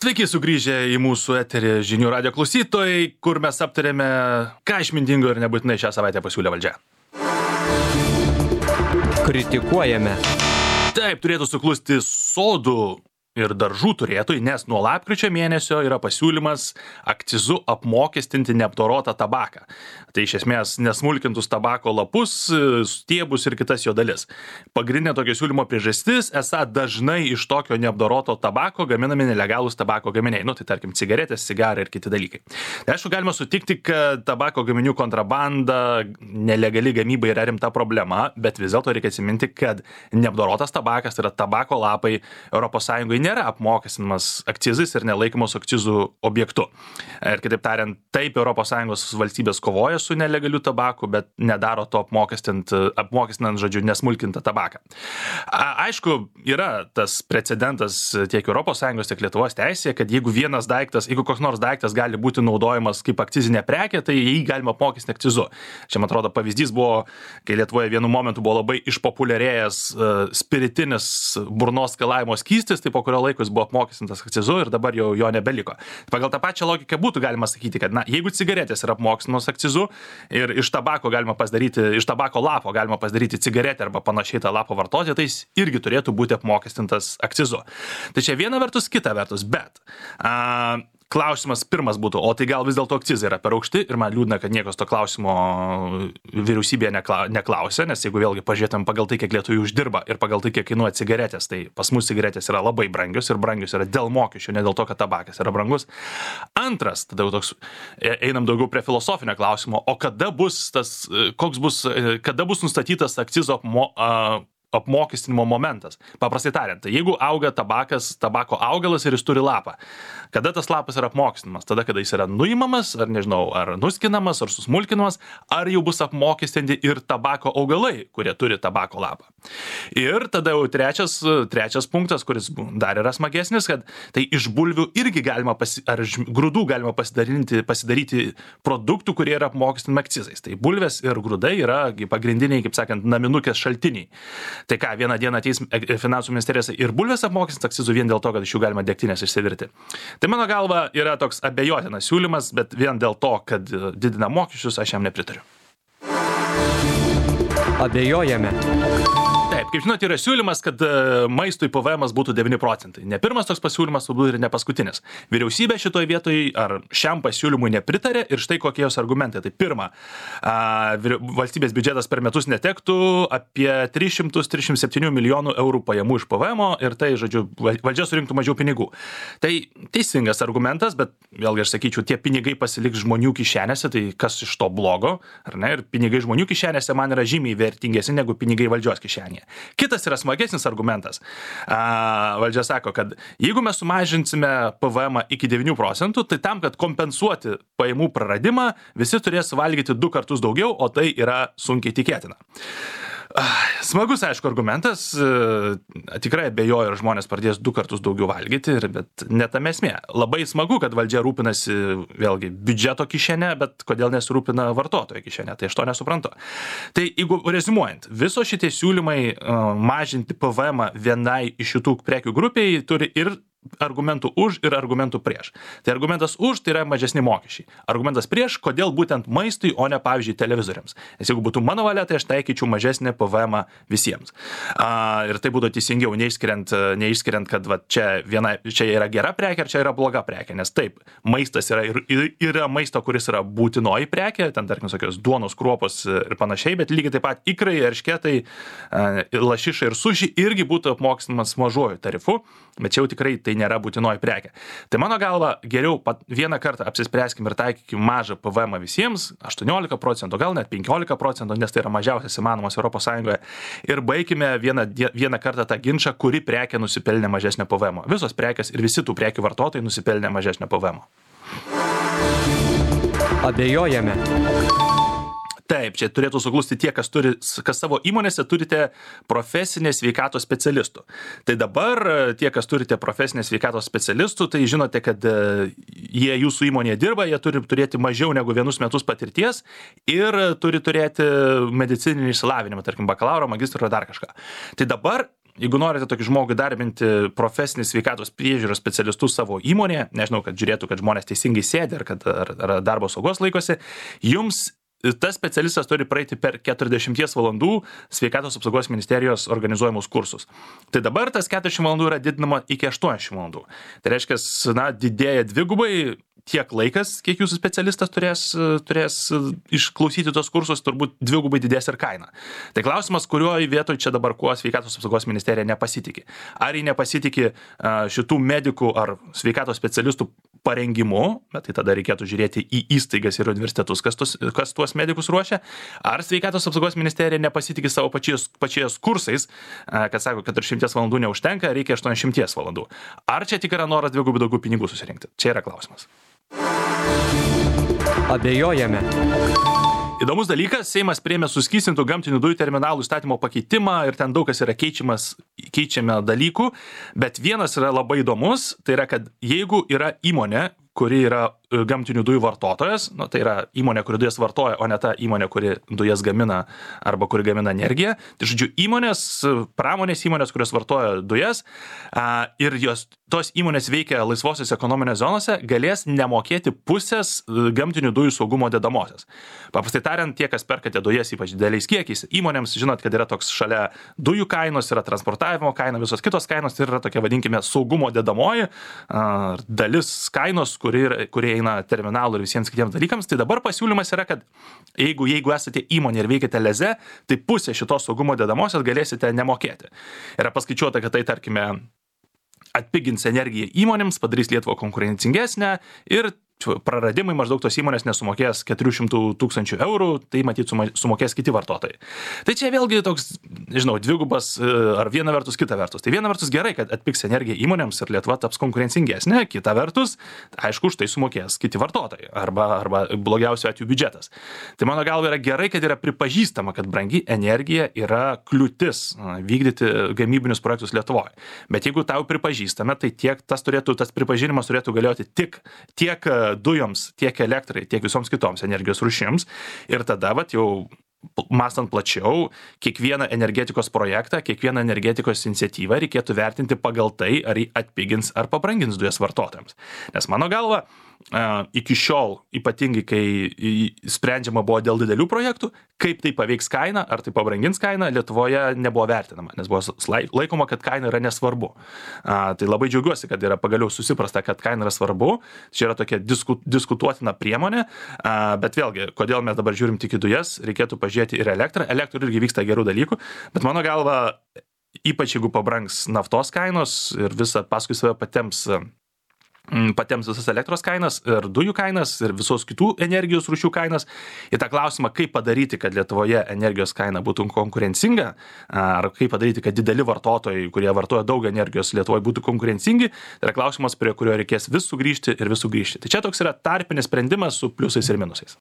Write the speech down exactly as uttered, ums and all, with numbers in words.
Sveiki sugrįžę į mūsų eterį žinių radijo klausytojai, kur mes aptarėme, ką išmintingo ir nebūtinai šią savaitę pasiūlė valdžia. Kritikuojame. Taip, turėtų suklusti sodų ir daržų turėtojai, nes nuo lapkričio mėnesio yra pasiūlymas akcizu apmokestinti neapdorotą tabaką. Tai iš esmės nesmulkintus tabako lapus, stiebus ir kitas jo dalis. Pagrindinė tokio siūlymo priežastis, esą dažnai iš tokio neapdoroto tabako gaminami nelegalūs tabako gaminiai. Nu, tai tarkim cigaretės, cigarai ir kiti dalykai. Tai aišku, galima sutikti, kad tabako gaminių kontrabanda, nelegali gamyba yra rimta problema, bet vis dėlto reikia atsiminti, kad neapdorotas tabakas, tai yra tabako lapai Europos Sąjungoje nėra apmokestinamas akcizais ir nelaikomos akcizų objektu. Ir kitaip tariant, taip Europos Sąjungos valstybės kovoja su nelegaliu tabaku, bet nedaro to apmokestinant, apmokestinant žodžiu, nesmulkintą tabaką. A, aišku, yra tas precedentas tiek Europos Sąjungos, tiek Lietuvos teisėje, kad jeigu vienas daiktas, jeigu koks nors daiktas gali būti naudojamas kaip akcizinė prekė, tai jį galima apmokestinti akcizu. Čia, man atrodo, pavyzdys buvo, kai Lietuvoje vienu momentu buvo labai išpopuliarėjęs uh, spiritinis burnos skalavimo skystis, tai po kurio laiko jis buvo apmokestintas akcizu ir dabar jau jo nebeliko. Pagal tą pačią logiką būtų galima sakyti, kad na, jeigu cigaretės yra apmokestinamos akcizu ir iš tabako galima pasidaryti, iš tabako lapo galima pasidaryti cigaretę arba panašiai tą lapą vartoti, tai jis irgi turėtų būti apmokestintas akcizu. Tai čia viena vertus, kita vertus, bet a, klausimas pirmas būtų, o tai gal vis dėlto akcizai yra per aukšti ir man liūdna, kad niekas to klausimo vyriausybėje neklausė, nes jeigu vėlgi pažiūrėtum pagal tai, kiek lietuvių uždirba ir pagal tai, kiek kainuoja cigaretės, tai pas mus cigaretės yra labai brangios ir brangios yra dėl mokesčių, ne dėl to, kad tabakas yra brangus. Antras, tada jau toks, einam daugiau prie filosofinio klausimo, o kada bus tas, koks bus, kada bus nustatytas akcizo apmo, a, apmokestinimo momentas. Paprastai tariant, tai jeigu auga tabakas, tabako augalas ir jis turi lapą, kada tas lapas yra apmokestinamas? Tada, kada jis yra nuimamas, ar nežinau, ar nuskinamas, ar susmulkinamas, ar jau bus apmokestinti ir tabako augalai, kurie turi tabako lapą. Ir tada jau trečias, trečias punktas, kuris dar yra smagesnis, kad tai iš bulvių irgi galima, pasi, ar iš grūdų galima pasidaryti, pasidaryti produktų, kurie yra apmokestinami akcizais. Tai bulvės ir grūdai yra pagrindiniai, kaip sakant, naminukės šaltiniai. Tai ką, vieną dieną ateis finansų ministerijos ir bulvės apmokestins akcizų vien dėl to, kad iš jų galima degtinės išsivirti. Tai mano galva yra toks abejotinas siūlymas, bet vien dėl to, kad didina mokesčius, aš jam nepritariu. Abejojame. Taip, kaip žinote, yra siūlymas, kad maistui P V Emas būtų devyni procentai. Ne pirmas toks pasiūlymas, turbūt ir ne paskutinis. Vyriausybė šitoje vietoje ar šiam pasiūlymui nepritarė ir štai kokie jos argumentai. Tai pirma, valstybės biudžetas per metus netektų apie tris šimtus trisdešimt septyni milijonų eurų pajamų iš P V Emo ir tai, žodžiu, valdžia surinktų mažiau pinigų. Tai teisingas argumentas, bet vėlgi aš sakyčiau, tie pinigai pasiliks žmonių kišenėse, tai kas iš to blogo, ar ne? Ir pinigai žmonių kišenėse man yra žymiai vertingesni negu pinigai valdžios kišenėje. Kitas yra smagesnis argumentas. A, valdžia sako, kad jeigu mes sumažinsime P V Emą iki devynių procentų, tai tam, kad kompensuoti pajamų praradimą, visi turės valgyti du kartus daugiau, o tai yra sunkiai tikėtina. Smagus, aišku, argumentas, tikrai abejoju, ar žmonės pradės du kartus daugiau valgyti, bet ne tame esmė. Labai smagu, kad valdžia rūpinasi vėlgi biudžeto kišenę, bet kodėl nesirūpina vartotojo kišenę, tai aš to nesuprantu. Tai jeigu rezimuojant, viso šitie siūlymai mažinti P V Emą vienai iš šitų prekių grupiai turi ir argumentų už ir argumentų prieš. Tai argumentas už tai yra mažesni mokesčiai. Argumentas prieš, kodėl būtent maistui, o ne, pavyzdžiui, televizoriams. Nes jeigu būtų mano valia, tai aš taikyčiau mažesnę P V Emą visiems. A, ir tai būtų teisingiau, neišskiriant, neišskiriant kad va, čia, viena, čia yra gera prekė, ar čia yra bloga prekė. Nes taip, maistas yra, ir, yra maisto, kuris yra būtinoji prekė, ten, tarkim, tokios duonos, kruopos ir panašiai, bet lygiai taip pat ikrai, eršketai, lašiša ir suši irgi būtų apmokestinamas mažuoju tarifu, bet čia jau tikrai tai nėra būtinoji prekė. Tai mano galva, geriau pat vieną kartą apsispręskim ir taikykim mažą P V Emą visiems, aštuoniolika procentų, gal net penkiolika procentų, nes tai yra mažiausias įmanomas Europos Sąjungoje. Ir baigime vieną, vieną kartą tą ginčą, kuri prekė nusipelnė mažesnio P V Emo. Visos prekės ir visi tų prekių vartotojai nusipelnė mažesnio P V Emo. Abejojame. Taip, čia turėtų suklusti tie, kas, turi, kas savo įmonėse turite profesinės sveikatos specialistų. Tai dabar tie, kas turite profesinės sveikatos specialistų, tai žinote, kad jie jūsų įmonėje dirba, jie turi turėti mažiau negu vienus metus patirties ir turi turėti medicininį išsilavinimą, tarkim, bakalauro, magistro ar dar kažką. Tai dabar jeigu norite tokį žmogų darbinti profesinį sveikatos priežiūros specialistus savo įmonėje, nežinau, kad žiūrėtų, kad žmonės teisingai sėdi ar, kad, ar, ar darbo saugos laikosi, jums tas specialistas turi praeiti per keturiasdešimties valandų sveikatos apsaugos ministerijos organizuojamus kursus. Tai dabar tas keturiasdešimt valandų yra didinama iki aštuoniasdešimt valandų. Tai reiškia, na, didėja dvigubai tiek laikas, kiek jūsų specialistas turės, turės išklausyti tos kursus, turbūt dvigubai didės ir kaina. Tai klausimas, kurioje vietoje čia dabar kuo sveikatos apsaugos ministerija nepasitikė. Ar jį nepasitikė šitų medikų ar sveikatos specialistų parengimu, bet tai tada reikėtų žiūrėti į įstaigas ir universitetus, kas, tos, kas tuos medikus ruošia, ar sveikatos apsaugos ministerija nepasitikė savo pačiais, pačiais kursais, kad sako, kad šimtas valandų neužtenka, reikia aštuoniasdešimt valandų. Ar čia tik yra noras dvigubai daugiau pinigų susirinkti? Čia yra klausimas. Abejojame. Įdomus dalykas, Seimas priėmė suskystintų gamtinių dujų terminalų įstatymo pakeitimą ir ten daug kas yra keičiamas, keičiame dalykų, bet vienas yra labai įdomus, tai yra, kad jeigu yra įmonė, kuri yra gamtinių dujų vartotojas, nu, tai yra įmonė, kuri dujas vartoja, o ne ta įmonė, kuri dujas gamina arba kuri gamina energiją. Tai žodžiu, įmonės, pramonės įmonės, kurios vartoja dujas a, ir jos, tos įmonės veikia laisvosios ekonominės zonose, galės nemokėti pusės gamtinių dujų saugumo dedamosios. Paprastai tariant, tie, kas perkate dujas ypač dideliais kiekiais, įmonėms žinot, kad yra toks šalia dujų kainos, yra transportavimo kaina, visos kitos kainos, tai yra tokia, vadinkime, saugumo dedamoji a, dalis kainos, kuri, kurie eina terminalų ir visiems kitiems dalykams, tai dabar pasiūlymas yra, kad jeigu, jeigu esate įmonė ir veikiate leze, tai pusę šitos saugumo dedamosios galėsite nemokėti. Yra paskaičiuota, kad tai, tarkime, atpigins energiją įmonėms, padarys Lietuvą konkurencingesnę ir praradimai maždaug tos įmonės nesumokės keturių šimtų tūkstančių eurų, tai matyt sumokės kiti vartotojai. Tai čia vėlgi toks, nežinau, dvigubas ar viena vertus, kita vertus. Tai viena vertus gerai, kad atpigs energija įmonėms ir Lietuva taps konkurencingesnė, kita vertus, aišku, už tai sumokės kiti vartotojai arba, arba blogiausiu atveju biudžetas. Tai mano galva yra gerai, kad yra pripažįstama, kad brangi energija yra kliūtis vykdyti gamybinius projektus Lietuvoje. Bet jeigu tau pripažįstame, tai tiek tas turėtų, tas pripažinimas turėtų galioti tik tiek dujoms, tiek elektrai, tiek visoms kitoms energijos rūšims. Ir tada, vat, jau mąstant plačiau, kiekvieną energetikos projektą, kiekvieną energetikos iniciatyvą reikėtų vertinti pagal tai, ar jį atpigins ar pabrangins dujas vartotojams. Nes mano galva, iki šiol, ypatingai kai sprendžiama buvo dėl didelių projektų, kaip tai paveiks kainą, ar tai pabrangins kainą, Lietuvoje nebuvo vertinama, nes buvo laikoma, kad kaina yra nesvarbu. Tai labai džiaugiuosi, kad yra pagaliau susiprasta, kad kaina yra svarbu. Čia yra tokia disku, diskutuotina priemonė, bet vėlgi, kodėl mes dabar žiūrim tik į dujas, reikėtų pažiūrėti ir elektrą. Elektrų irgi vyksta gerų dalykų, bet mano galva, ypač jeigu pabrangs naftos kainos ir visą paskui save patems patems visas elektros kainas ir dujų kainas ir visos kitų energijos rūšių kainas. Į tą klausimą, kaip padaryti, kad Lietuvoje energijos kaina būtų konkurencinga, ar kaip padaryti, kad dideli vartotojai, kurie vartoja daug energijos Lietuvoje, būtų konkurencingi, tai yra klausimas, prie kurio reikės vis sugrįžti ir vis sugrįžti. Tai čia toks yra tarpinis sprendimas su pliusais ir minusais.